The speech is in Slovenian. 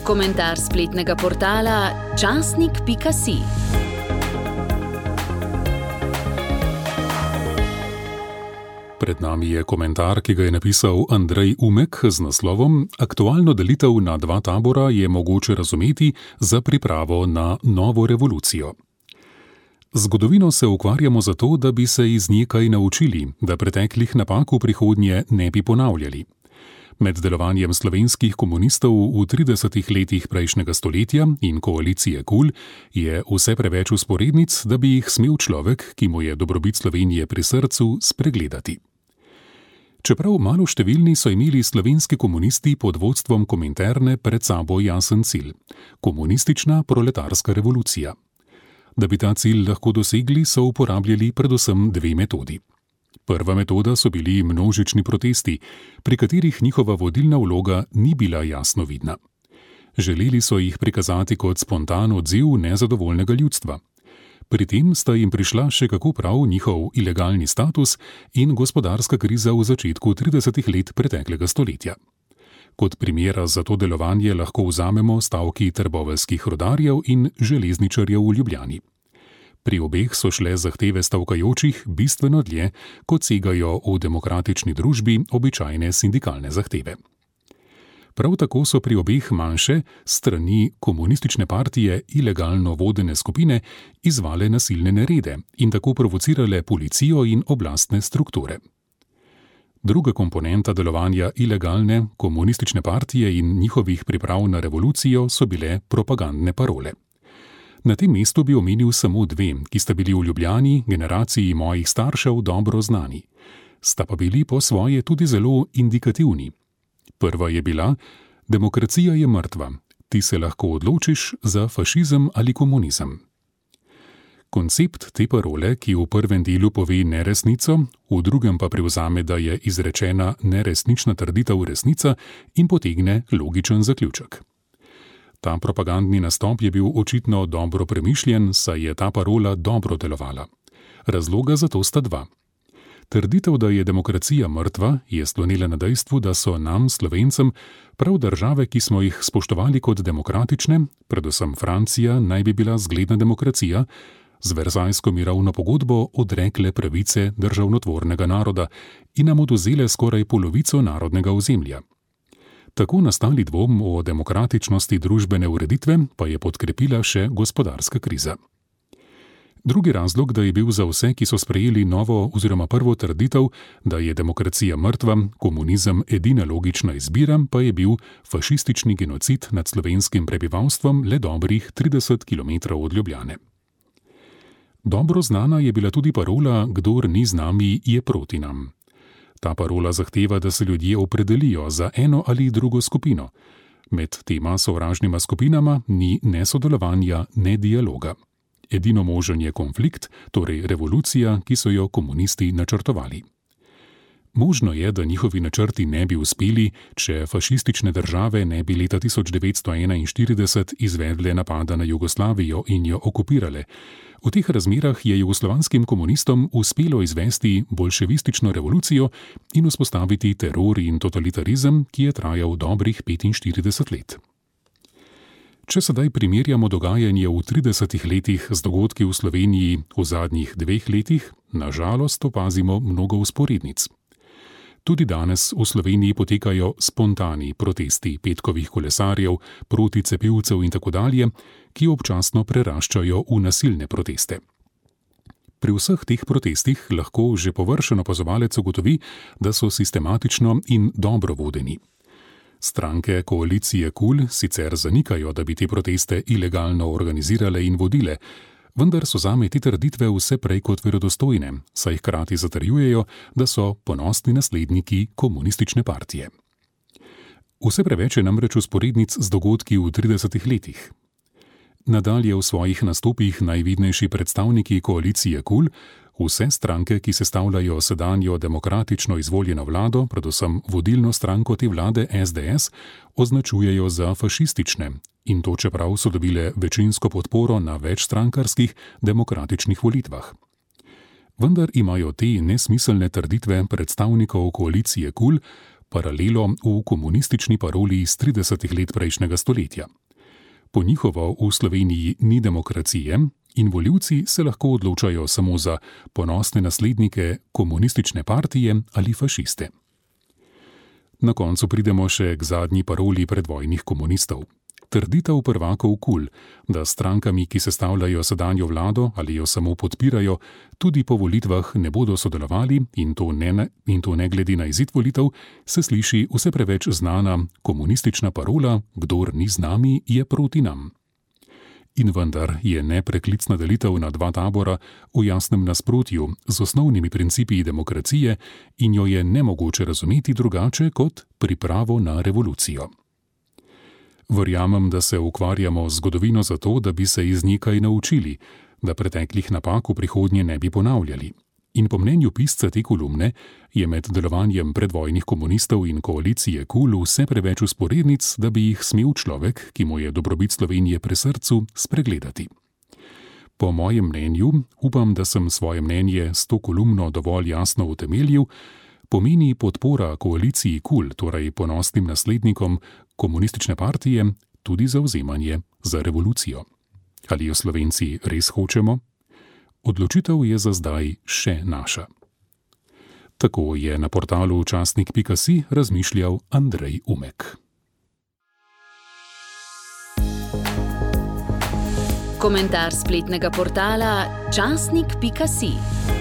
Komentar spletnega portala časnik.si. Pred nami je komentar, ki ga je napisal Andrej Umek z naslovom Aktualno delitev na dva tabora je mogoče razumeti za pripravo na novo revolucijo. Zgodovino se ukvarjamo zato, da bi se iz nje kaj naučili, da preteklih napak v prihodnje ne bi ponavljali. Med delovanjem slovenskih komunistov v 30 letih prejšnjega stoletja in koalicije KUL je vse preveč vzporednic, da bi jih smel človek, ki mu je dobrobit Slovenije pri srcu, spregledati. Čeprav maloštevilni so imeli slovenski komunisti pod vodstvom Kominterne pred sabo jasen cilj – komunistična proletarska revolucija. Da bi ta cilj lahko dosegli, so uporabljali predvsem dve metodi. Prva metoda so bili množični protesti, pri katerih njihova vodilna vloga ni bila jasno vidna. Želeli so jih prikazati kot spontan odziv nezadovoljnega ljudstva. Pri tem sta jim prišla še kako prav njihov ilegalni status in gospodarska kriza v začetku 30 let preteklega stoletja. Kot primera za to delovanje lahko vzamemo stavki trboveljskih rudarjev in železničarjev v Ljubljani. Pri obeh so šle zahteve stavkajočih bistveno dlje, kot segajo v demokratični družbi običajne sindikalne zahteve. Prav tako so pri obeh manjše, strani komunistične partije ilegalno vodene skupine izvale nasilne nerede in tako provocirale policijo in oblastne strukture. Druga komponenta delovanja ilegalne komunistične partije in njihovih priprav na revolucijo so bile propagandne parole. Na tem mestu bi omenil samo dve, ki sta bili v Ljubljani generaciji mojih staršev dobro znani. Sta pa bili po svoje tudi zelo indikativni. Prva je bila: demokracija je mrtva, ti se lahko odločiš za fašizem ali komunizem. Koncept te parole, ki v prvem delu pove neresnico, v drugem pa prevzame, da je izrečena neresnična trditev resnica in potegne logičen zaključek. Ta propagandni nastop je bil očitno dobro premišljen, saj je ta parola dobro delovala. Razloga za to sta dva. Trditev, da je demokracija mrtva, je slonila na dejstvu, da so nam, Slovencem, prav države, ki smo jih spoštovali kot demokratične, predvsem Francija naj bi bila zgledna demokracija, z Versajsko mirovno pogodbo odrekle pravice državnotvornega naroda in nam odvzele skoraj polovico narodnega ozemlja. Tako nastali dvom o demokratičnosti družbene ureditve pa je podkrepila še gospodarska kriza. Drugi razlog, da je bil za vse, ki so sprejeli novo oziroma prvo trditev, da je demokracija mrtva, komunizem edina logična izbira, pa je bil fašistični genocid nad slovenskim prebivalstvom le dobrih 30 km od Ljubljane. Dobro znana je bila tudi parola Kdor ni z nami, je proti nam. Ta parola zahteva, da se ljudje opredelijo za eno ali drugo skupino. Med tema sovražnima skupinama ni ne sodelovanja, ne dialoga. Edino možen je konflikt, torej revolucija, ki so jo komunisti načrtovali. Možno je, da njihovi načrti ne bi uspeli, če fašistične države ne bi leta 1941 izvedle napada na Jugoslavijo in jo okupirale. V teh razmerah je jugoslovanskim komunistom uspelo izvesti bolševistično revolucijo in vzpostaviti teror in totalitarizem, ki je trajal dobrih 45 let. Če sedaj primerjamo dogajanje v 30 letih z dogodki v Sloveniji v zadnjih 2 letih, na žalost opazimo mnogo vzporednic. Tudi danes v Sloveniji potekajo spontani protesti petkovih kolesarjev, proticepilcev in tako dalje, ki občasno preraščajo v nasilne proteste. Pri vseh teh protestih lahko že površen opazovalec ugotovi, da so sistematično in dobro vodeni. Stranke koalicije KUL sicer zanikajo, da bi te proteste ilegalno organizirale in vodile, vendar so zame te trditve vse prej kot verodostojne, saj hkrati zatrjujejo, da so ponosni nasledniki komunistične partije. Vse preveč je namreč vzporednic z dogodki v 30 letih. Nadalje v svojih nastopih najvidnejši predstavniki koalicije KUL vse stranke, ki sestavljajo sedanjo demokratično izvoljeno vlado, predvsem vodilno stranko te vlade SDS, označujejo za fašistične, in to čeprav so dobile večinsko podporo na večstrankarskih demokratičnih volitvah. Vendar imajo te nesmiselne trditve predstavnikov koalicije KUL paralelo v komunistični paroli iz 30 let prejšnjega stoletja. Po njihovo v Sloveniji ni demokracije in volivci se lahko odločajo samo za ponosne naslednike komunistične partije ali fašiste. Na koncu pridemo še k zadnji paroli predvojnih komunistov. Trditev prvakov KUL, da s strankami, ki sestavljajo sedanjo vlado ali jo samo podpirajo, tudi po volitvah ne bodo sodelovali in to ne glede na izid volitev, se sliši vse preveč znana komunistična parola: kdor ni z nami, je proti nam. In vendar je nepreklicna delitev na dva tabora v jasnem nasprotju z osnovnimi principi demokracije in jo je nemogoče razumeti drugače kot pripravo na revolucijo. Verjamem, da se ukvarjamo z zgodovino zato, da bi se iz nje kaj naučili, da preteklih napak v prihodnje ne bi ponavljali. In po mnenju pisca te kolumne je med delovanjem predvojnih komunistov in koalicije KUL vse preveč vzporednic, da bi jih smel človek, ki mu je dobrobit Slovenije pri srcu, spregledati. Po mojem mnenju, upam, da sem svoje mnenje s to kolumno dovolj jasno utemeljil, pomeni podpora koaliciji KUL, torej ponosnim naslednikom komunistične partije, tudi zavzemanje za revolucijo. Ali jo Slovenci res hočemo? Odločitev je za zdaj še naša. Tako je na portalu časnik.si razmišljal Andrej Umek. Komentar spletnega portala časnik.si.